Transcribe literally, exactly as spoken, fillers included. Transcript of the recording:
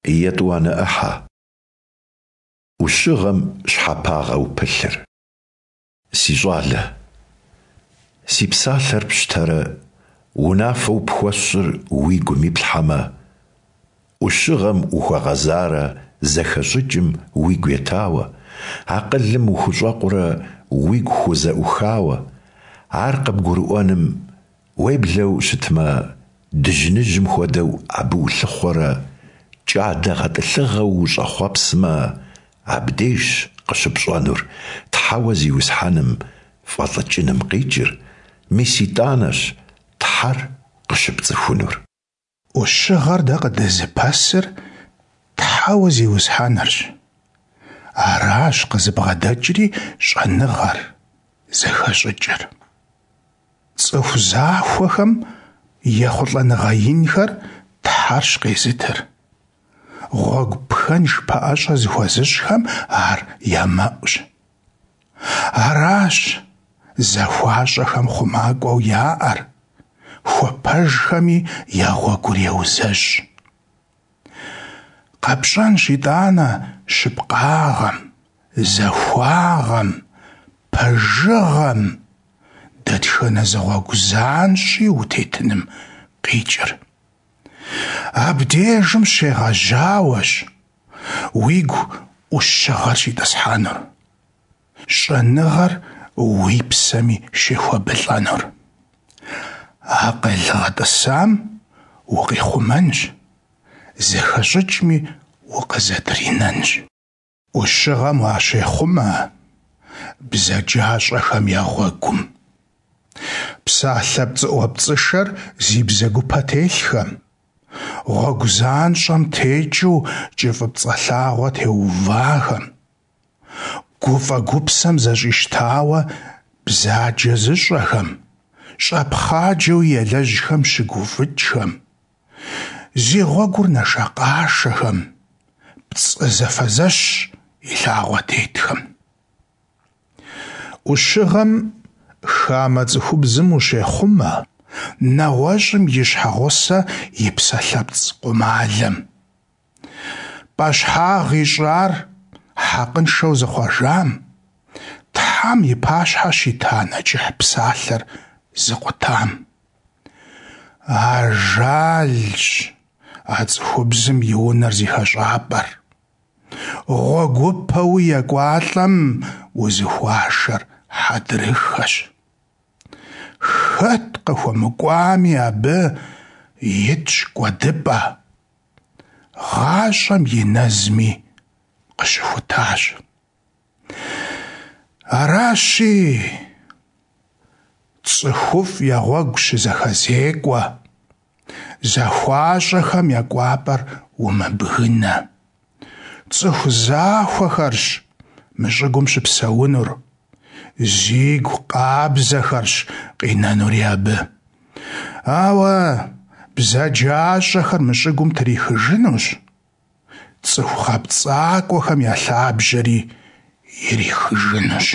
Етӏуанэ ӏыхьэ. Ӏущыгъэм щхьэпагъэу пылъыр. Си щӏалэ, си псалъэр пщтэрэ унафэу пхуэсщӏыр уи гум иплъхьэмэ, ӏущыгъэм ухуэгъэзарэ зэхэщӏыкӏым уигу етауэ, акъылым ухущӏэкъурэ уигу хузэӏухауэ, ар къыбгурыӏуэным уеблэу щытмэ, дыжьыныжьым хуэдэу абы улъыхъуэрэ кӏадэ гъэтӏылъыгъэу ущӏэхъуэпсмэ, абдежщ къыщыпщӏэнур Тхьэуэ Зиусхьэным фӏэлӏыкӏыным къикӏыр, мис итӏанэщ Тхьэр къыщыпцӏыхунур. Ӏущыгъэр дэ къыдэзыпэсыр Тхьэуэ Зиусхьэнырщ. Аращ къызыбгъэдэкӏри щӏэныгъэр, зэхэщӏыкӏыр. Цӏыху захуэхэм ехъулӏэныгъэ инхэр Тхьэрщ къезытыр. Гъуэгу пхэнж пэӏэщӏэ зыхуэзыщӏхэм ар я мэӏущ. Аращ захуащӏэхэм хъумакӏуэу яӏэр, хуэпэжхэми я гъуэгур еузэщӏ. Къэпщӏэнщ итӏанэ щыпкъагъэм, захуагъэм, пэжыгъэм, дэтхэнэ зы гъуэгу занщӏи утетыным къикӏыр. Абдежым щегъэжьауэщ уигу ӏущыгъэр щитӏысхьэнур, щӏэныгъэр уи псэми щехуэбылӏэнур. Акъыл гъэтӏысам укъихъумэнщ, зэхэщӏыкӏми укъызэтринэнщ. Ӏущыгъэм уащехъумэ бзаджащӏэхэм я гъуэгум. Псалъэ пцӏыӏуэпцӏышэр зи бзэгупэ телъхэм, гъуэгу занщӏэм текӏыу кӏыфӏыпцӏэ лъагъуэ теувахэм, гуфӏэ-гупсэм зэщӏищтауэ бзаджэ зыщӏэхэм, щӏэпхъаджэуи ялэжьхэм щыгуфӏыкӏхэм, зи гъуэгур нэшэкъашэхэм, пцӏы зэфэзэщ и лъагъуэ тетхэм. Ӏущыгъэм хамэ цӏыхубзым ущехъумэ, нэгъуэщӏым и щхьэгъусэ и псалъэпцӏ къумалэм. Пӏэщхьагъ ищӏар хьэкъыншэу зыхъуэжам, Тхьэм и пащхьэ щита нэчыхь псалъэр зыкъутам. Ажалщ а цӏыхубзым и унэр зи хэщӏапӏэр. Гъуэгупэуи екӏуалӏэм узыхуашэр хьэдрыхэщ. Хэт къыхуэмыкӏуами абы итщ кӏуэдыпӏэ, гъащӏэм и нэзми къыщыхутащ. Аращи, цӏыхуфӏ я гъуэгу щызэхэзекӏуэ, захуащӏэхэм я кӏуапӏэр умыбгынэ. Цӏыху захуэхэрщ мы щӏыгум щыпсэунур, зигу къабзэхэрщ къинэнури абы. Ауэ бзаджащӏэхэр мы щӏыгум трихыжынущ, цӏыху гъэпцӏакӏуэхэм я лъабжьэри ирихыжынущ.